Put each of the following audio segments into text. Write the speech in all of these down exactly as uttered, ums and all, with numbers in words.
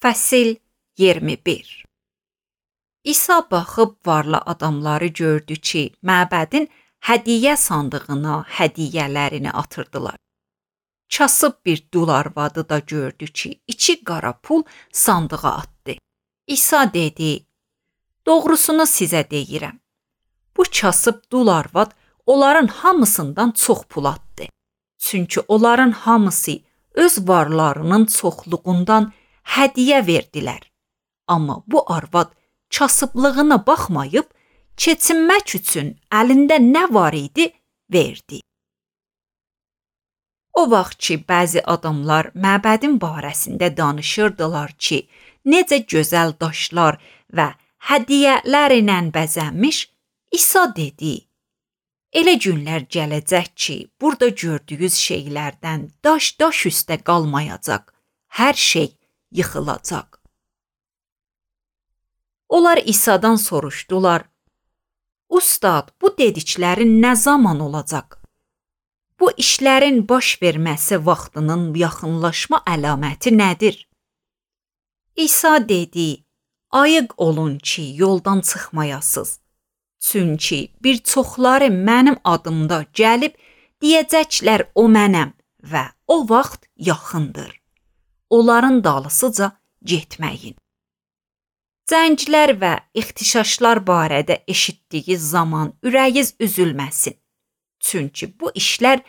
Fəsil iyirmi bir. İsa baxıb varlı adamları gördü ki, məbədin hədiyyə sandığına hədiyyələrini atırdılar. Kasıb bir dul arvadı da gördü ki, içi qara pul sandığa atdı. İsa dedi, doğrusunu sizə deyirəm. Bu kasıb dul arvad onların hamısından çox pul atdı. Çünki onların hamısı öz varlarının çoxluğundan hədiyyə verdilər. Amma bu arvad kasıblığına baxmayıb, keçinmək üçün əlində nə var idi, verdi. O vaxt ki, bəzi adamlar məbədin barəsində danışırdılar ki, necə gözəl daşlar və hədiyyələr ilə bəzənmiş, İsa dedi, elə günlər gələcək ki, burada gördüyünüz şeylərdən daş-daş üstə qalmayacaq, hər şey yıxılacaq. Onlar İsa'dan soruşdular, Ustad, bu dediklərin nə zaman olacaq? Bu işlərin baş verməsi vaxtının yaxınlaşma əlaməti nədir? İsa dedi, ayıq olun ki, yoldan çıxmayasınız. Çünki bir çoxları mənim adımda gəlib, deyəcəklər o mənəm və o vaxt yaxındır. Onların dalısıca getməyin. Zənclər və ixtişaşlar barədə eşitdiyi zaman ürəyiz üzülməsin. Çünki bu işlər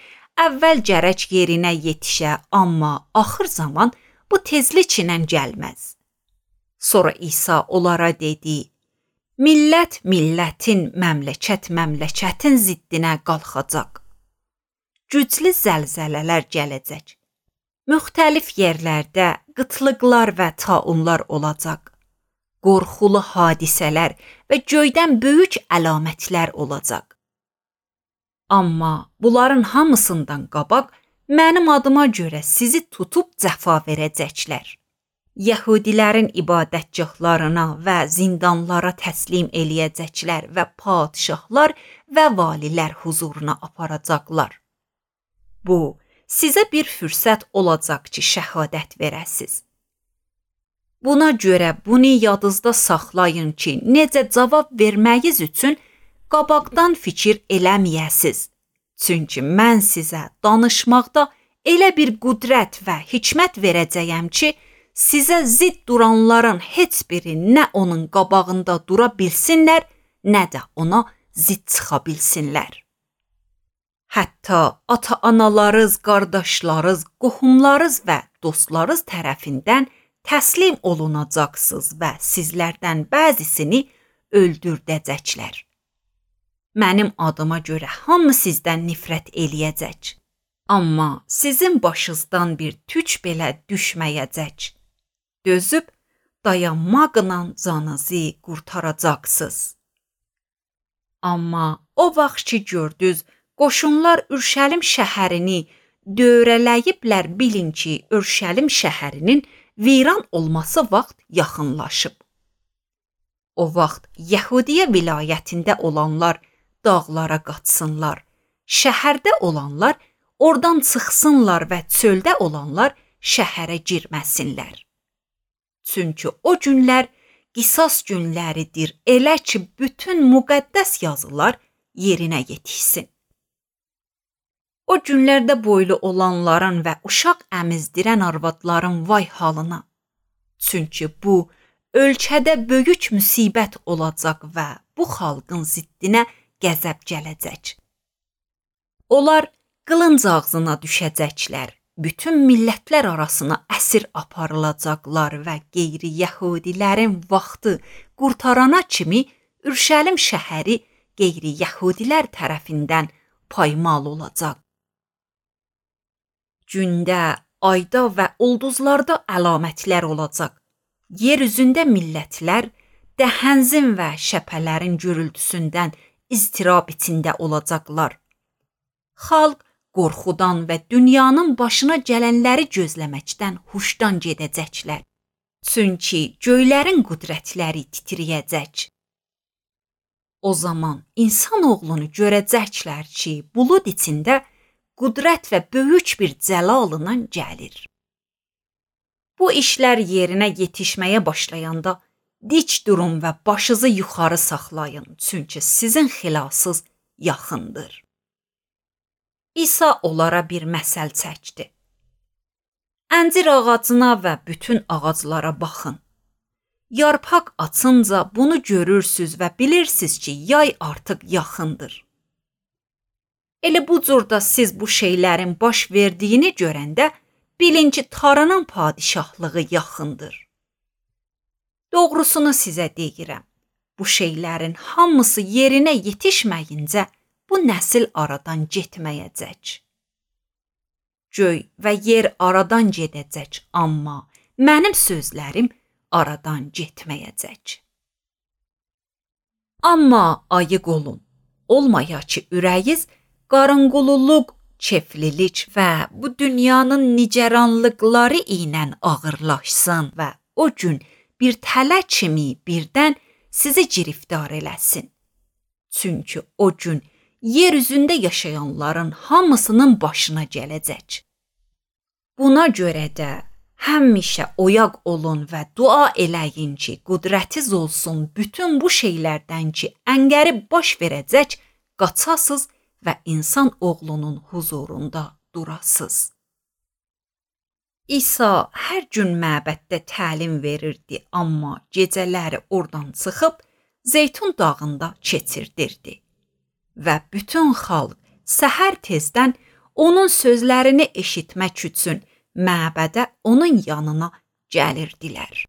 əvvəl gərək yerinə yetişə, amma axır zaman bu tezliklə gəlməz. Sonra İsa onlara dedi, millət millətin, məmləkət məmləkətin ziddinə qalxacaq. Güclü zəlzələlər gələcək. Müxtəlif yerlərdə qıtlıqlar və taunlar olacaq. Qorxulu hadisələr və göydən böyük əlamətlər olacaq. Amma bunların hamısından qabaq mənim adıma görə sizi tutub cəfa verəcəklər. Yəhudilərin ibadətgahlarına və zindanlara təslim eləyəcəklər və padişahlar və valilər huzuruna aparacaqlar. Bu, sizə bir fürsət olacaq ki, şəhadət verəsiz. Buna görə bunu yadınızda saxlayın ki, necə cavab verməyiz üçün qabaqdan fikir eləməyəsiz. Çünki mən sizə danışmaqda elə bir qüdrət və hikmət verəcəyəm ki, sizə zidd duranların heç biri nə onun qabağında dura bilsinlər, nə də ona zidd çıxa bilsinlər. Hətta ata-analarınız, qardaşlarınız, qohumlarınız və dostlarınız tərəfindən təslim olunacaqsınız və sizlərdən bəzisini öldürdəcəklər. Mənim adıma görə hamı sizdən nifrət eləyəcək. Amma sizin başınızdan bir tük belə düşməyəcək. Dözüb, dayanmaqla canınızı qurtaracaqsınız. Amma o vaxt ki gördünüz, qoşunlar Ürşəlim şəhərini dövrələyiblər, bilin ki, Ürşəlim şəhərinin viran olması vaxt yaxınlaşıb. O vaxt Yəhudiyə vilayətində olanlar dağlara qaçsınlar, şəhərdə olanlar oradan çıxsınlar və çöldə olanlar şəhərə girməsinlər. Çünki o günlər qisas günləridir, elə ki, bütün müqəddəs yazılar yerinə yetişsin. O günlərdə boylu olanların və uşaq əmizdirən arvadların vay halına. Çünki bu, ölkədə böyük müsibət olacaq və bu xalqın ziddinə qəzəb gələcək. Onlar qılınc ağzına düşəcəklər, bütün millətlər arasına əsir aparılacaqlar və qeyri-yəhudilərin vaxtı qurtarana kimi Ürşəlim şəhəri qeyri-yəhudilər tərəfindən paymal olacaq. Gündə, ayda və ulduzlarda əlamətlər olacaq. Yer üzündə millətlər dəhənzin və şəpələrin gürültüsündən iztirab içində olacaqlar. Xalq qorxudan və dünyanın başına gələnləri gözləməkdən huşdan gedəcəklər. Çünki göylərin qüdrətləri titriyəcək. O zaman insan oğlunu görəcəklər ki, bulud içində qüdrət və böyük bir cəlalından gəlir. Bu işlər yerinə yetişməyə başlayanda dik durun və başınızı yuxarı saxlayın, çünki sizin xilasınız yaxındır. İsa onlara bir məsəl çəkdi. Əncir ağacına və bütün ağaclara baxın. Yarpaq açınca bunu görürsüz və bilirsiniz ki, yay artıq yaxındır. Elə bu cürdə siz bu şeylərin baş verdiyini görəndə bilin ki, tarının padişahlığı yaxındır. Doğrusunu sizə deyirəm, bu şeylərin hamısı yerinə yetişməyincə bu nəsil aradan getməyəcək. Göy və yer aradan gedəcək, amma mənim sözlərim aradan getməyəcək. Amma ayıq olun, olmaya ki ürəyiz qarınqululuq, keflilik və bu dünyanın nigaranlıqları ilə ağırlaşsın və o gün bir tələ kimi birdən sizi giriftar eləsin. Çünki o gün yer üzündə yaşayanların hamısının başına gələcək. Buna görə də həmişə oyaq olun və dua eləyin ki, qüdrətiz olsun bütün bu şeylərdən ki, əngəri baş verəcək, qaçasız və insan oğlunun huzurunda durasız. İsa hər gün məbəddə təlim verirdi, amma gecələri oradan çıxıb Zeytun dağında keçirdirdi. Və bütün xalq səhər tezdən onun sözlərini eşitmək üçün məbədə onun yanına gəlirdilər.